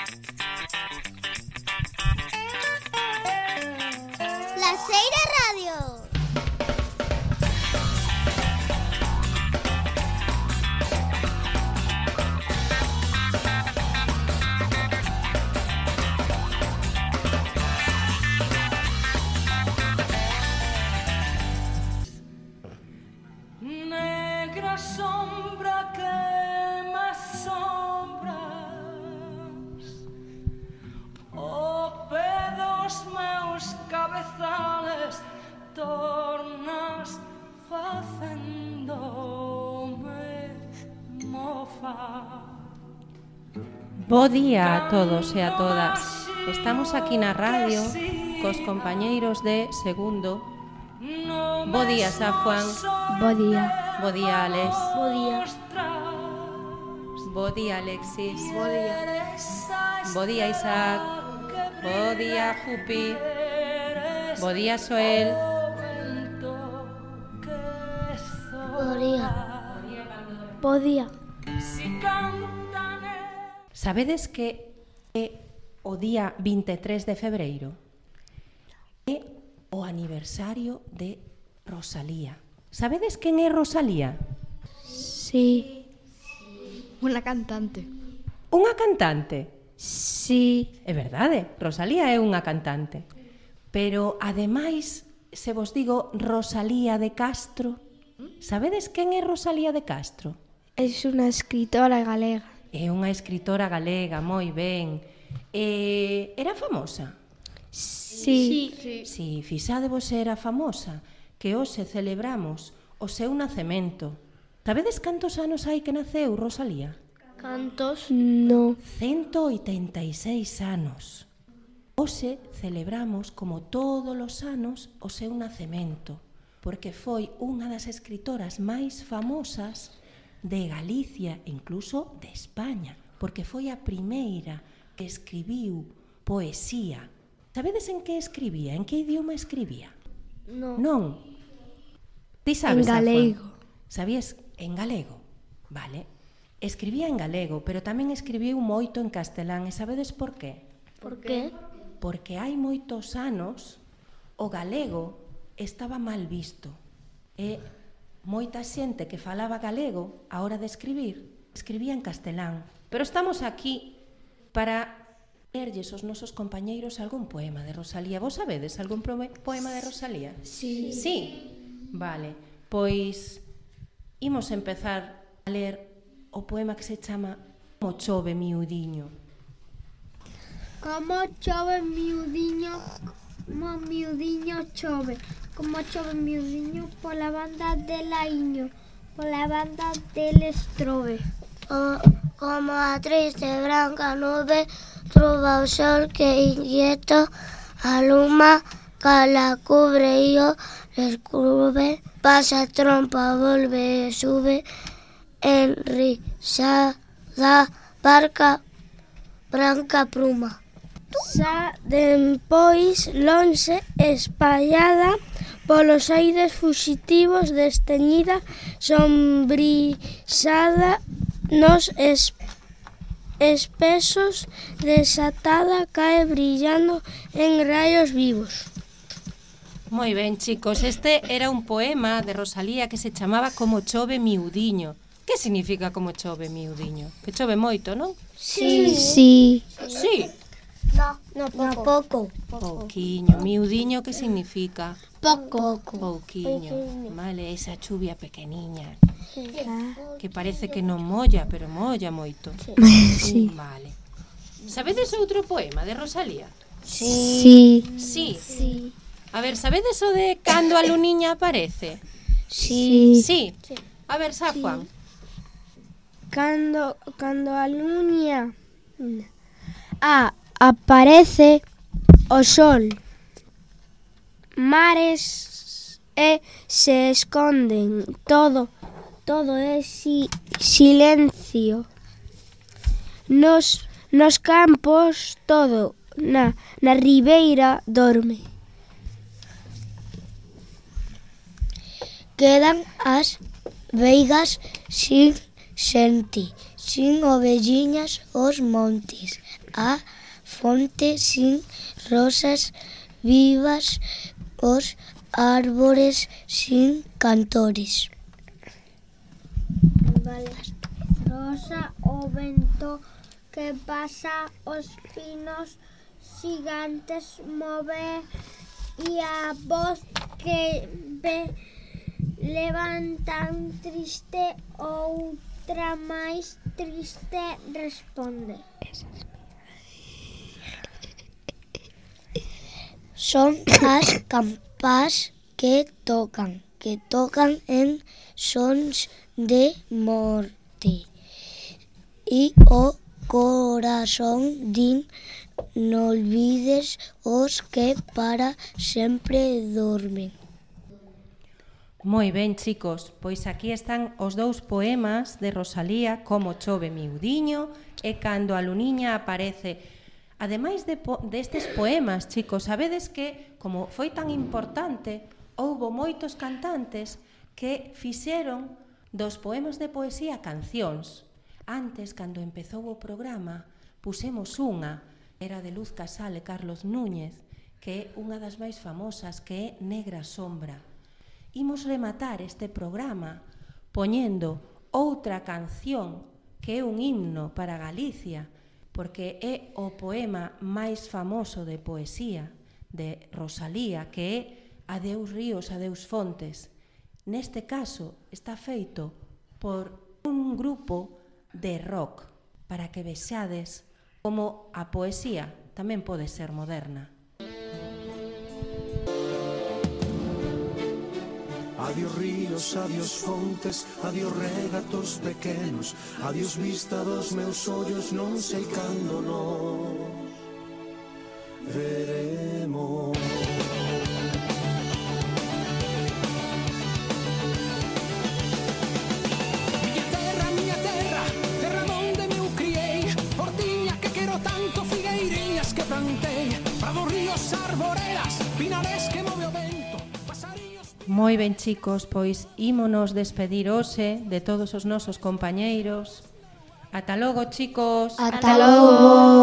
La Seira Radio. Negra sombra que me sombras, o pedos meus cabezales tornas facendome mofa. Bo día a todos e a todas. Estamos aquí na radio cos compañeiros de segundo. Bo día, Safuan. Bo día. Bo día, Alex. Bo día. Bo día, Alexis. Bo día. Bo día, Isaac. Bo día, Jupi. Bo día, Soel. Bo día. Bo día. Sabedes que é o día 23 de febreiro? É o aniversario de Rosalía. Sabedes quen é Rosalía? Sí. Unha cantante. Unha cantante? Sí. É verdade, Rosalía é unha cantante. Pero, ademais, se vos digo Rosalía de Castro, sabedes quen é Rosalía de Castro? É unha escritora galega. É unha escritora galega, moi ben. Era famosa? Sí. Si, fixádevos era famosa, que hoxe celebramos o seu nacemento. Sabedes cantos anos hai que naceu Rosalía? Cantos? No. 186 anos. Hoxe celebramos, como todos os anos, o seu nacemento, porque foi unha das escritoras máis famosas de Galicia e incluso de España, porque foi a primeira que escribiu poesía. Sabedes en que escribía? En que idioma escribía? No. Non. Ti sabes, En galego. Sabías? En galego. Vale. Escribía en galego, pero tamén escribiu moito en castelán. E sabedes por qué? Por qué? Porque hai moitos anos o galego estaba mal visto. E moita xente que falaba galego a hora de escribir, escribía en castelán. Pero estamos aquí para lerlles aos nosos compañeiros algún poema de Rosalía. Vos sabedes algún poema de Rosalía? Sí. Sí? Vale, pois imos empezar a ler o poema que se chama Como chove miudiño. Como chove miudiño, como miudiño chove. Como chove miudiño pola banda de Laiño, pola banda del Estrobe. Como a triste branca nube truba o sol que inquieto aluma, cala cubre e o descubre, pasa trompa, volve e sube, enrisada barca branca pluma. Xa dempois lonxe espallada polos aires fuxitivos desteñida, sombrisada nos espesos, desatada cae brillando en rayos vivos. Moi ben, chicos, este era un poema de Rosalía que se chamaba Como chove miudiño. Que significa como chove miudiño? Que chove moito, non? Sí. Sí. Sí. No pouco. Pouquiño. Miudiño, que significa? Pouco. Pouquiño. Vale, esa chuvia pequeniña. Que parece que non molla, pero molla moito. Sí. Vale. Sabedes outro poema de Rosalía? Sí. Sí. A ver, sabedes o de Cando a luniña aparece? Sí. Sí. A ver, Safuan. Cando a luña aparece o sol, mares se esconden, todo é silencio. Nos campos todo na ribeira dorme. Quedan as veigas sin sin ovelliñas os montes, a fonte sin rosas vivas, os árbores sin cantores. Rosa o vento que pasa os pinos gigantes move e a voz que levantan triste outra máis triste responde. Son as campás que tocan en sons de morte. E o corazón din, non olvides os que para sempre dormen. Moi ben, chicos, pois aquí están os dous poemas de Rosalía, Como chove miudiño e Cando a luniña aparece. Ademais destes poemas, chicos, sabedes que, como foi tan importante, houbo moitos cantantes que fixeron dos poemas de poesía cancións. Antes, cando empezou o programa, pusemos unha, era de Luz Casal e Carlos Núñez, que é unha das máis famosas, que é Negra Sombra. Imos rematar este programa poñendo outra canción que é un himno para Galicia, porque é o poema máis famoso de poesía de Rosalía, que é Adeus ríos, adeus fontes. Neste caso está feito por un grupo de rock, para que vexades como a poesía tamén pode ser moderna. Adiós ríos, adiós fontes, adiós regatos pequenos, adiós vista dos meus ollos, non sei cando nos veremos. Miña terra, terra onde me criei, hortiña que quero tanto, figueiriñas que plantei, prados, ríos, arboredas, pinares que move o vento. Moi ben, chicos, pois ímonos despedir hoxe de todos os nosos compañeiros. Ata logo, chicos. Ata logo.